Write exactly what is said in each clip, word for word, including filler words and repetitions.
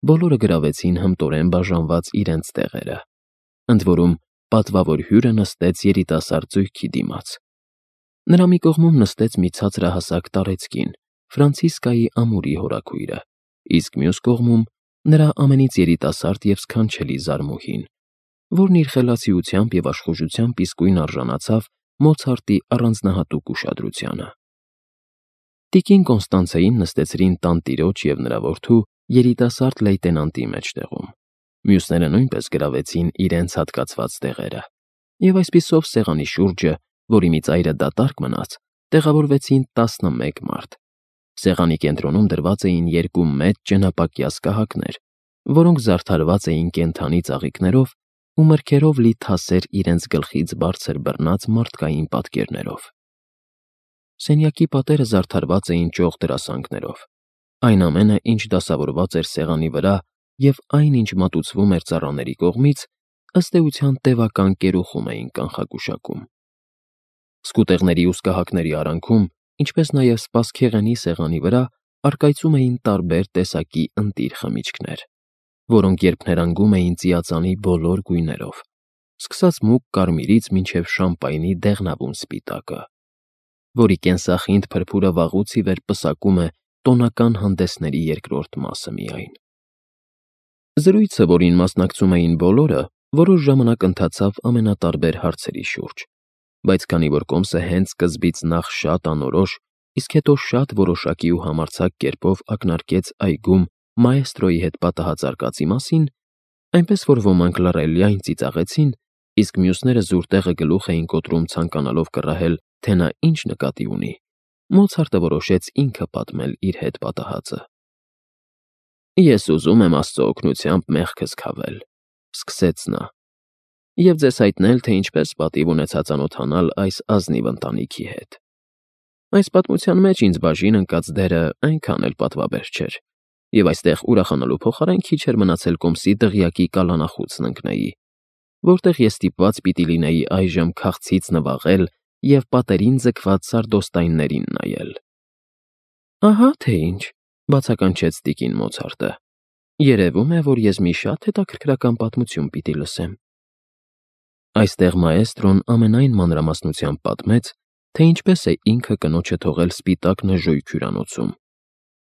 բոլորը գրավեցին հմտորեն բաժանված իրենց տեղերը, ընդ որում պատվավոր հյուրը նստեց երիտասարդ զույգի դիմաց։ Նրա մի կողմում նստեց մի ցածրահասակ տարեցկին, Ֆրանցիսկայի ամուրի հորաքույրը, իսկ մյուս կողմում նրա ամենից երիտասարդ և սքանչելի զարմուհին, որն իր խելացիությամբ և աշխուժությամբ իսկույն արժանացավ Մոցարտի առանձնահատուկ ուշադրությանը։ Տիկին Կոնստանցեին նստեցրին տանտիրոջ և նրա որդու երիտասարդ լեյտենանտի մեջտեղում, մյուսները նույնպես գրավեցին իրենց հատկացված տեղերը, և այսպիսով սեղանի շուրջը, որի մի ծայրը դատարկ մնաց, տեղավորվեցին տասնմեկ մարդ։ Սեղանի կենտրոնում դրված էին երկու մեծ ճենապակյաս կահակներ, որոնք զարդարված էին կենդանի ծաղիկներով ու մրգերով լի թասեր իրենց գլխից բարձր բռնած մարդկային պատկերներով։ Սենյակի պատերը զարդարված էին ճոխ դրասանքներով։ Այն ամենը, ինչ դասավորված էր սեղանի վրա և այն, ինչ մատուցվում էր ծառաների կողմից, ըստ էության տևական կերուխում էին կանխագուշակում։ Սկուտեղների ու սկահակների արանքում, ինչպես նաև սպասքեղենի սեղանի վրա առկայծում էին տարբեր տեսակի ընտիր խմիչքներ, որոնք երփներանգում էին ծիածանի բոլոր գույներով, սկսած մուգ կարմիրից մինչև շամպայնի դեղնավուն սպիտակը, որի կենսախինդ փրփուրը վաղուց ի վեր պսակում է տոնական հանդեսների երկրորդ մասը միայն։ Զրույցը, որին մասնակցում էին բոլորը, որոշ ժամանակ ընթացավ ամենատարբեր հարցերի շուրջ, բայց քանի որ կոմսը հենց սկզբից նախ շատ անորոշ, իսկ հետո շատ որոշակի ու համարձակ կերպով ակնարկեց այգում մաեստրոյի հետ պատահած արկածի մասին, այնպես որ ոմանք լռելիայն ծիծաղեցին, իսկ մյուսները զուր տեղը գլուխ էին կոտրում ցանկանալով կռահել, թե նա ինչ նկատի ունի, Մոցարտը որոշեց ինքը պատմել իր հետ պատահածը։ «Ես ուզում եմ Աստծո օգնությամբ մեղքս քավել», ֊ սկսեց նա, «և ձեզ հայտնել, թե ինչպես պատիվ ունեցա ծանոթանալ այս ազնիվ ընտանիքի հետ։ Այս պատմության մեջ ինձ բաժին ընկած դերը այնքան էլ պատվաբեր չէր, և այստեղ ուրախանալու փոխարեն քիչ էր մնացել կոմսի դղյակի կալանախուցն ընկնեի, որտեղ ես ստիպված պիտի լինեի այժմ քաղցից նվաղել և պատերին ձգված սարդոստայններին նայել»։ «Ահա թե ինչ», ֊ բացականչեց տիկին Մոցարտը, «երևում է, որ ես մի շատ հետաքրքրական պատմություն պիտի լսեմ»։ Այստեղ մաեստրոն ամենայն մանրամասնությամբ պատմեց, թե ինչպես է ինքը կնոջը թողել սպիտակ նժոյք հյուրանոցում,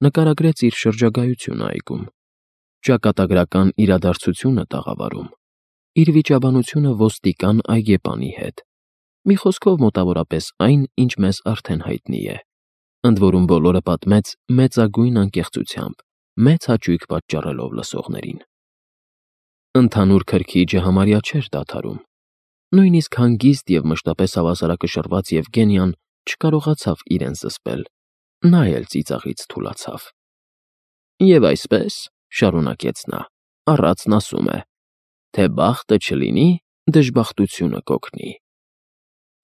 նկարագրեց իր շրջագայությունը այգում, ճակատագրական իրադարձությունը տաղավարում, իր վիճաբանությունը ոստիկան այգեպանի հետ, մի խոսքով մոտավորապես այն, ինչ մեզ արդեն հայտնի է, ընդ որում բոլորը պատմեց մեծագույն անկեղծությամբ, մեծ հաճույք պատճառելով լսողներին։ Ընդհանուր քրքիջը համարյա չէր դադարում։ Նույնիսկ հանգիստ և մշտապես հավասարակշռված Եվգենիան չկարողացավ իրեն զսպել, նա էլ ծիծաղից թուլացավ։ «Եվ այսպես, ֊ շարունակեց նա, ֊ առածն ասում է, թե բախտը չլինի, դժբախտությունը կօգնի։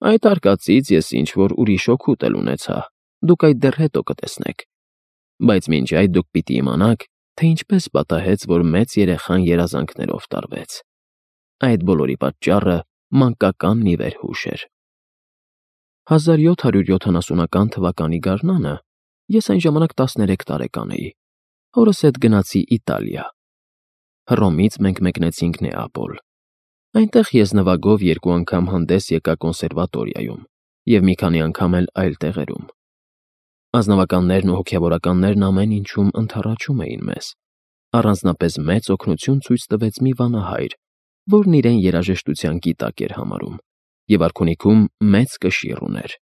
Այդ արկածից ես ինչ-որ ուրիշ օգուտ էլ ունեցա, դուք այդ դեռ հետո կտեսնեք, բայց մինչ այդ դուք պիտի իմանաք, թե ինչպես պատահեց, որ մեծ երեխան երազանքներով տարվեց։ Այդ բոլորի պատճառը մանկական մի վերհուշ էր։ հազար յոթ հարյուր յոթանասունական թվականի գարնանը ես այն ժամանակ տասներեք տարեկան էի, հորս հետ գնացի Իտալիա։ Հռոմից մենք մեկնեցինք Նեապոլ։ Այնտեղ ես նվագով երկու անգամ հանդես եկա կոնսերվատորիայում և մի քանի անգամ էլ այլ տեղերում։ Ազնվականներն ու հոգևորականներն ամեն ինչում ընդառաջում էին մեզ։ Առանձնապես մեծ օգնություն ցույց տվեց մի վանահայր, որն իրեն երաժշտության գիտակ էր համարում, և արքունիքում մեծ կշիռ ուներ։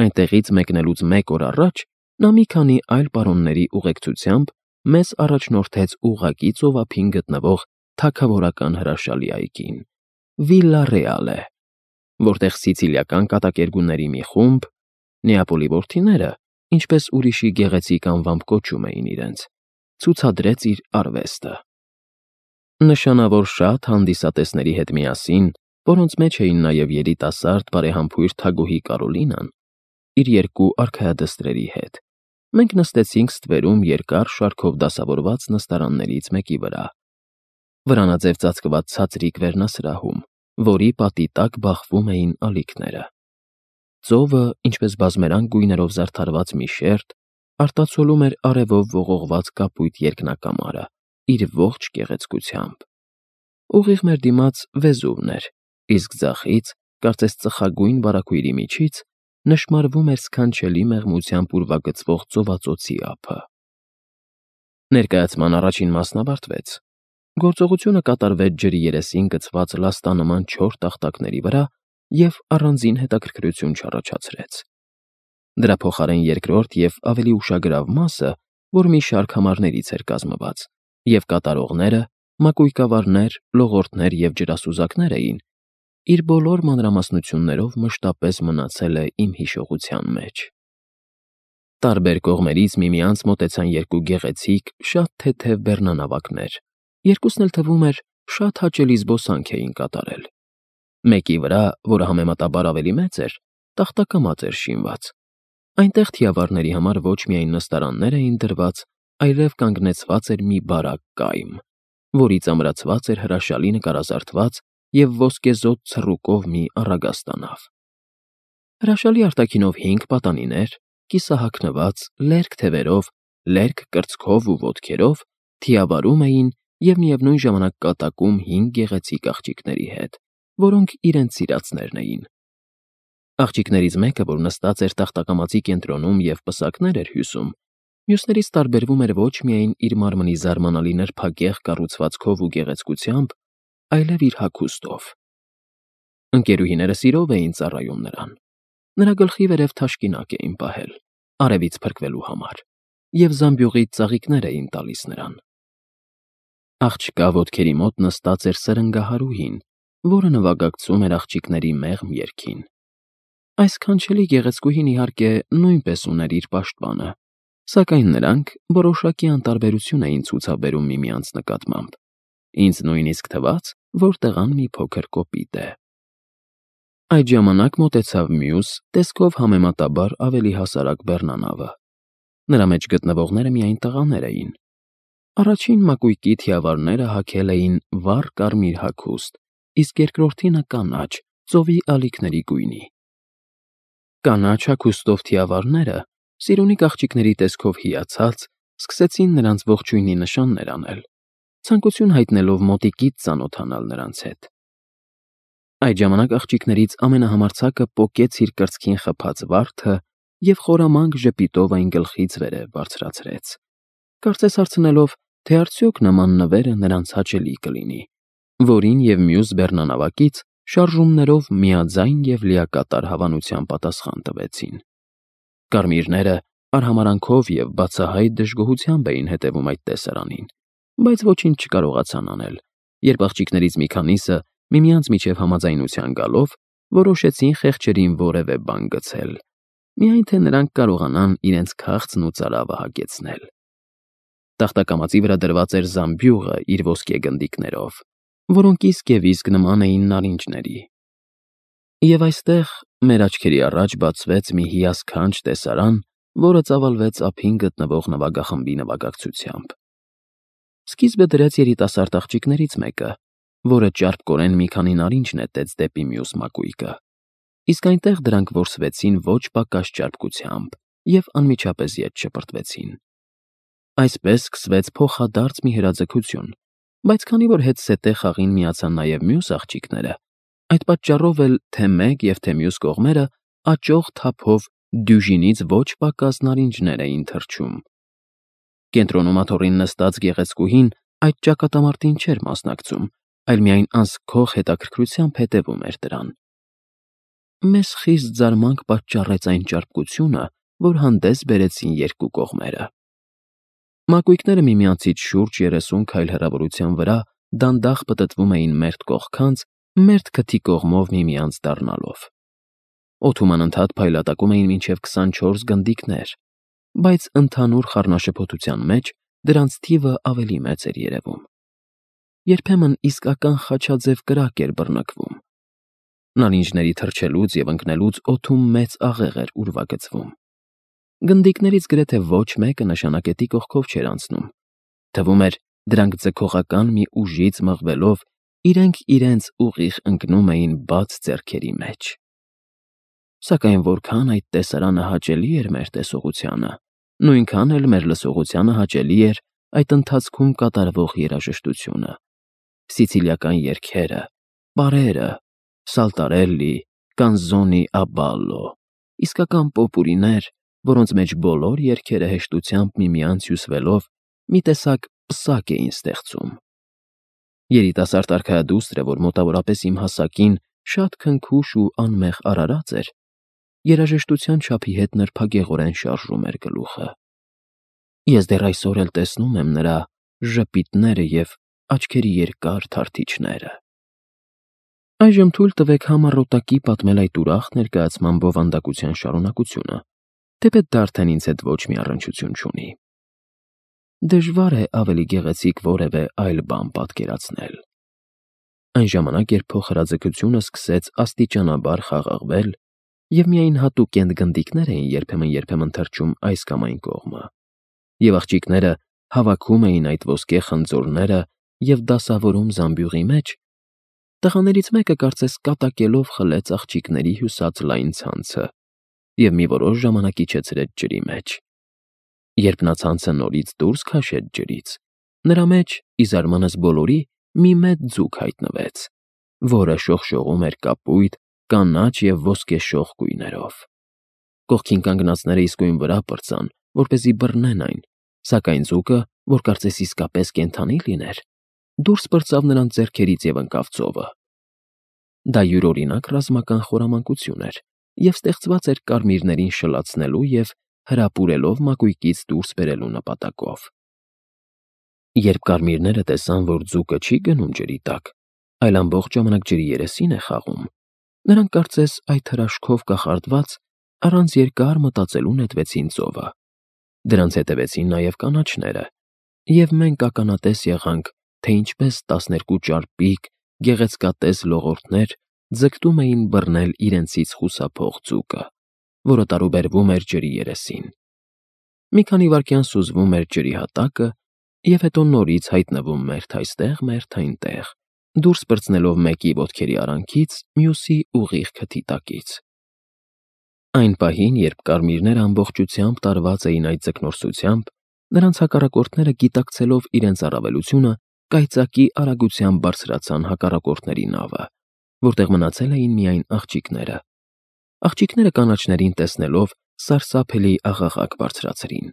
Այնտեղից մեկնելուց մեկ օր առաջ նա մի քանի այլ պարոնների ուղեկցությամբ մեզ առաջնորդեց ուղղակի ծովափին գտնվող թագավորական հրաշալի այգին՝ Վիլլա Ռեալե, որտեղ սիցիլիական կատակերգուների մի խումբ, Նեապոլի որդիները, ինչպես ուրիշի գեղեցիկ անվամբ կոչում էին իրենց, ցուցադրեց իր արվեստը։ Նշանավոր շատ հանդիսատեսների հետ միասին, որոնց մեջ էին նաև երիտասարդ բարեհամբույր թագուհի Կարոլինան, իր երկու արքայադստրերի հետ, մենք նստեցինք ստվերում երկար շարքով դասավորված նստարաններից մեկի վրա, վրանաձև ծածկված ցածրիկ վերնասրահում, որի պատի տակ բախվում էին ալիքները։ Ծովը, ինչպես բազմերանգ գույներով զարդարված մի շերտ, արտացոլում էր արևով ողողված կապույտ երկնակամարը, իր ողջ գեղեցկությամբ։ Ուղիղ մեր դիմաց Վեզուվն էր, իսկ ձախից, կարծես ծխագույն վարագույրի միջից, նշմարվում էր սքանչելի մեղմությամբ ուրվագծվող ծովածոցի ափը։ Ներկայացման առաջին մասն ավարտվեց։ Գործողությունը կատարվեց ջրի երեսին գցված լաստանման չոր տախտակների վրա և առանձին հետաքրքրություն չառաջացրեց։ Դրա փոխարեն երկրորդ և ավելի ուշագրավ մասը, որ մի շարք համարներից էր կազմված, և կատարողները, մակույկավարներ, լողորդներ և ջրասուզակներ էին, իր բոլոր մանրամասնություններով մշտապես մնացել է իմ հիշողության մեջ։ Տարբեր կողմերից միմյանց մոտեցան երկու գեղեցիկ, շատ թեթև բեռնանավակներ, երկուսն էլ թվում էր շատ հաճելի զբոսանք էին կատարել։ Մեկի վրա, որը համեմատաբար ավելի մեծ էր, տախտակամած էր շինված։ Այնտեղ թիավարների համար ոչ միայն նստարաններ էին դրված, այլև կանգնեցված էր մի բարակ կայմ, որից ամրացված էր հրաշալի նկարազարդված և ոսկեզօծ ցռուկով մի առագաստանավ։ Հրաշալի արտաքինով հինգ պատանիներ, կիսահագնված, լերկ թևերով, լերկ կրծքով ու ոտքերով, թիավարում էին և միևնույն ժամանակ կատակում հինգ գեղեցիկ աղջիկների հետ, որոնք իրենց սիրածներն էին։ Աղջիկներից մեկը, որ նստած էր տախտակամածի կենտրոնում և պսակներ էր հյուսում, մյուսներից տարբերվում էր ոչ միայն իր մարմնի զարմանալի նրբագեղ կառուցվածքով ու գեղեցկությամբ, այլև իր հագուստով։ Ընկերուհիները սիրով էին ծառայում նրան։ Նրա գլխի վերև թաշկինակ էին պահել, արևից փրկվելու համար, և զամբյուղից ծաղիկներ էին տալիս նրան։ Աղջկա ոտքերի մոտ նստած էր սրընգահարուհին, որը նվագակցում էր աղջիկների մեղմ երգին։ Այս սքանչելի գեղեցկուհին, իհարկե, նույնպես ուներ իր պաշտպանը, սակայն նրանք որոշակի անտարբերություն էին ցուցաբերում միմյանց նկատմամբ։ Ինձ նույնիսկ թվաց, որ տղան մի փոքր կոպիտ է։ Այդ ժամանակ մոտեցավ մյուս, տեսքով համեմատաբար ավելի հասարակ բեռնանավը։ Նրա մեջ գտնվողները միայն տղաներ էին։ Առաջին մակույկի թիավարները հագել էին վառ կարմիր հագուստ, իսկ երկրորդինը կանաչ, ծովի ալիքների գույնի։ Կանաչ հագուստով թիավարները, սիրունիկ աղջիկների տեսքով հիացած, սկսեցին նրանց ողջույնի նշաններ անել, ցանկություն հայտնելով մոտիկից ծանոթանալ նրանց հետ։ Այդ ժամանակ աղջիկներից ամենահամարձակը պոկեց իր կրծքին խփած վարդը և խորամանկ ժպիտով այն գլխից վերև բարձրացրեց, կարծես հարցնելով, թե արդյոք նման նվերը նրանց հաճելի կլինի, որին և մյուս բեռնանավակից շարժումներով միաձայն և լիակատար հավանությամբ պատասխան տվեցին։ Կարմիրները արհամարհանքով և բացահայտ դժգոհությամբ էին հետևում այդ տեսարանին, բայց ոչինչ չկարողացան անել, երբ աղջիկներից մի քանիսը, միմյանց միջև համաձայնության գալով, որոշեցին խեղճերին որևէ բան գցել, միայն թե նրանք կարողանան իրենց քաղցն ու ծարավը հագեցնել։ Տախտակամածի վրա դրված էր զամբյուղը իր ոսկե գնդիկներով, որոնք իսկ և իսկ նման էին նարինջների։ Եվ այստեղ մեր աչքերի առաջ բացվեց մի հիասքանչ տեսարան, որը ծավալվեց ափին գտնվող նվագախմբի նվագակցությամբ։ Սկիզբը դրեց երիտասարդ աղջիկներից մեկը, որը ճարպկորեն մի քանի նարինջ նետեց դեպի մյուս մակույկը, իսկ այնտեղ դրանք որսվեցին ոչ պակաս ճարպկությամբ և անմիջապես ետ շպրտվեցին։ Այսպես սկսվեց փոխադարձ մի հրաձգություն, բայց քանի որ հետզհետե խաղին միացան նաև մյուս աղջիկները, այդ պատճառով էլ թե մեկ և թե մյուս կողմերը աճող թափով դյուժինից ոչ պակաս նարինջներ էին թռչում։ Կենտրոնում աթոռին նստած գեղեցկուհին այդ ճակատամարտին չէր մասնակցում, այլ միայն անզգող հետաքրքրությամբ հետևում էր դրան։ Մեզ խիստ զարմանք պատճառեց այն ճարպկությունը, որ հանդես բերեցին երկու կողմերը։ Մակույկները միմյանցից շուրջ երեսուն քայլ հեռավորության վրա դանդաղ պտտվում էին մերթ կողքանց, մերթ քթի կողմով միմյանց դառնալով։ Օդում անընդհատ փայլատակում էին մինչև քսանչորս գնդիկներ, բայց ընդհանուր խառնաշփոթության մեջ դրանց թիվը ավելի մեծ էր երևում։ Երբեմն իսկական խաչաձև կրակ էր բռնկվում։ Նարինջների թռչելուց և ընկնելուց օդում մեծ աղեղ էր ուրվագծվում։ Գնդիկներից գրեթե ոչ մեկը նշանակետի կողքով չէր անցնում։ Թվում էր, դրանք ձգողական մի ուժից մղվելով իրենք իրենց ուղիղ ընկնում էին բաց ձեռքերի մեջ։ Սակայն որքան այդ տեսարանը հաճելի էր մեր տեսողությանը, նույնքան էլ մեր լսողությանը հաճելի էր այդ ընթացքում կատարվող երաժշտությունը, սիցիլիական երգերը, պարերը, սալտարելլի, կանզոնի ա բալլո, իսկական պոպուրիներ, որոնց մեջ բոլոր երգերը հեշտությամբ միմյանց հյուսվելով մի տեսակ պսակ էին ստեղծում։ Երիտասարդ արքայադուստրը, որ մոտավորապես իմ հասակին շատ քնքուշ ու անմեղ արարած էր, երաժշտության չափի հետ նրբագեղորեն շարժում էր գլուխը։ Ես դեռ այսօր էլ տեսնում եմ նրա ժպիտները և աչքերի երկար թարթիչները։ Այժմ թույլ տվեք համառոտակի պատմել այդ ուրախ ներկայացման բովանդակության շարունակությունը, թեպետ դարդեն ինձ հետ ոչ մի առնչություն չունի։ Դժվար է ավելի գեղեցիկ որևէ այլ բան պատկերացնել։ Այն ժամանակ, երբ փոխհրաձգությունը սկսեց աստիճանաբար խաղաղվել, և միայն հատուկ կենտգնդիկներ էին երբեմն-երբեմն թռչում այս կամ այն կողմը, և աղջիկները հավաքում էին այդ ոսկե խնձորները և դասավորում զամբյուղի մեջ, տղաներից մեկը կարծես կատակելով խլեց աղջիկների հյուսած լայն ցանցը և մի որոշ ժամանակ իջեցրեց ջրի մեջ։ Երբ նա ցանցը նորից դուրս քաշեց ջրից, նրա մեջ, ի զարմանս բոլորի, մի մեծ ձուկ հայտնվեց, որը շողշողում էր կապույտ, կանաչ և ոսկեշող գույներով։ Կողքին կանգնածները իսկույն վրա պրծան, որպեսզի բռնեն այն, սակայն ձուկը, որ կարծես իսկապես կենդանի լիներ, դուրս պրծավ նրանց ձեռքերից և ընկավ ծովը։ Դա յուրօրինակ ռազմական խորամանկություն էր և ստեղծված էր կարմիրներին շլացնելու և հրապուրելով մակույկից դուրս բերելու նպատակով։ Երբ կարմիրները տեսան, որ ձուկը չի գնում ջրի տակ, այլ ամբողջ ժամանակ ջրի երեսին է խաղում, նրանք կարծես այդ հրաշքով կախարդված առանց երկար մտածելու նետվեցին ծովը։ Դրանց հետևեցին նաև կանաչները, և մենք ականատես եղանք, թե ինչպես տասներկու ճարպիկ, գեղեցկատես լողորդներ ձգտում էին բռնել իրենցից խուսափող ձուկը, որը տարուբերվում էր ջրի երեսին։ Մի քանի վայրկյան սուզվում էր ջրի հատակը և հետո նորից հայտնվում մերթ այստեղ, մերթ այնտեղ, դուրս պրծնելով մեկի ոտքերի արանքից, մյուսի ուղիղ քթի տակից։ Այն պահին, երբ կարմիրները ամբողջությամբ տարված էին այդ ձկնորսությամբ, նրանց հակառակորդները, գիտակցելով իրենց առավելությունը, կայծակի արագությամբ բարձրացան հակառակորդների նավը, որտեղ մնացել էին միայն աղջիկները։ Աղջիկները կանաչներին տեսնելով սարսափելի աղաղակ բարձրացրին։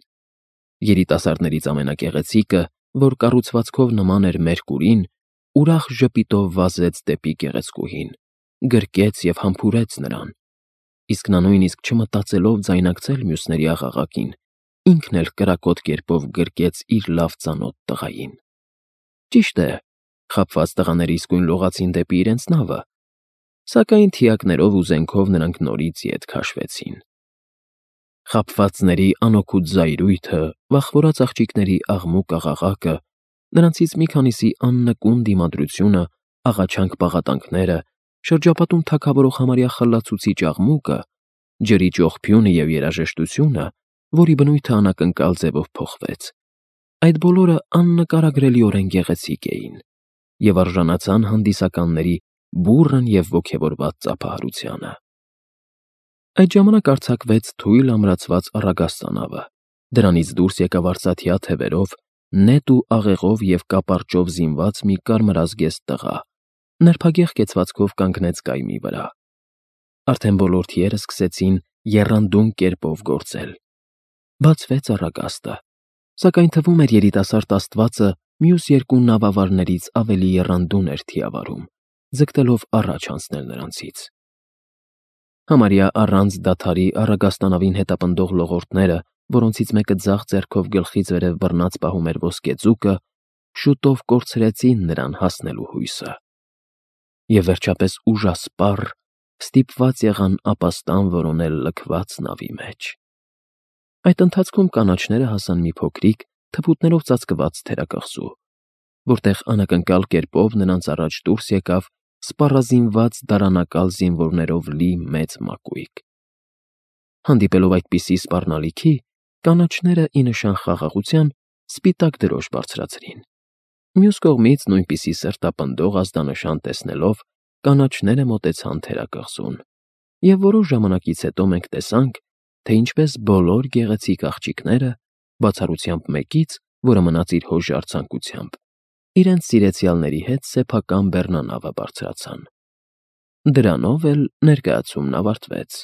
Երիտասարդներից ամենագեղեցիկը, որ կառուցվածքով նման էր Մերկուրին, ուրախ ժպիտով վազեց դեպի գեղեցկուհին, գրկեց և համբուրեց նրան, իսկ նա նույնիսկ չմտածելով ձայնարկել մյուսների աղաղակին, ինքն էլ կրակոտ կերպով գրկեց իր լավ ծանոթ տղային։ Ճիշտ է, խաբված տղաները իսկույն լողացին դեպի իրենց նավը, սակայն թիակներով ու զենքով նրանք նորից ետ քաշվեցին։ Խաբվածների անօգուտ զայրույթը, վախվորած աղջիկների աղմուկ աղաղակը, նրանցից մի քանիսի աննկուն դիմադրությունը, աղաչանք պաղատանքները, շրջապատում թագավորող համարյա խլացուցիչ աղմուկը, ջրի ճողփյունը և երաժշտությունը, որի բնույթը անակնկալ ձևով փոխվեց, այդ բոլորը աննկարագրելիորեն գեղեցիկ էին և արժանացան հանդիսականների բուռն և ոգևորված ծափահարությանը։ Այդ ժամանակ արձակվեց թույլ ամրացված առագաստանավը, դրանից դուրս եկավ արծաթյա թևերով, նետ ու աղեղով և կապարճով զինված մի կարմրազգեստ տղա, նրբագեղ կեցվածքով կանգնեց կայմի վրա։ Արդեն բոլոր թիերը սկսեցին եռանդուն կերպով գործել։ Բացվեց առագաստը, սակայն թվում էր երիտասարդ աստվածը մյուս երկու նավավարներից ավելի եռանդուն էր թիավարում, ձգտելով առաջ անցնել նրանցից։ Համարյա առանց դադարի առագաստանավին հետապնդող լողորդները, որոնցից մեկը ձախ ձեռքով գլխից վերև բռնած պահում էր ոսկե ձուկը, շուտով կորցրեցին նրան հասնելու հույսը։ Եվ վերջապես ուժասպառ ստիպված եղան ապաստան որոնել լքված նավի մեջ։ Այդ ընթացքում կանաչները հասան մի փոքրիկ, թփուտներով ծածկված թերակղզու, որտեղ անակնկալ կերպով նրանց առաջ դուրս եկավ սպառազինված դարանակալ զինվորներով լի մեծ մակույկ։ Հանդիպելով այդպիսի սպառնալիքի, կանաչները, ի նշան խաղաղության, սպիտակ դրոշ բարձրացրին։ Մյուս կողմից, նույնպիսի սրտապնդող ազդանշան տեսնելով, կանաչները մոտեցան թերակղզուն, և որոշ ժամանակից հետո մենք տեսանք, թե ինչպես բոլոր գեղեցիկ աղջիկները, բացառությամբ մեկից, որը մնաց իր հոժար ցանկությամբ, իրենց սիրեցյալների հետ սեփական բեռնանավը բարձրացան։ Դրանով էլ ներկայացումն ավարտվեց։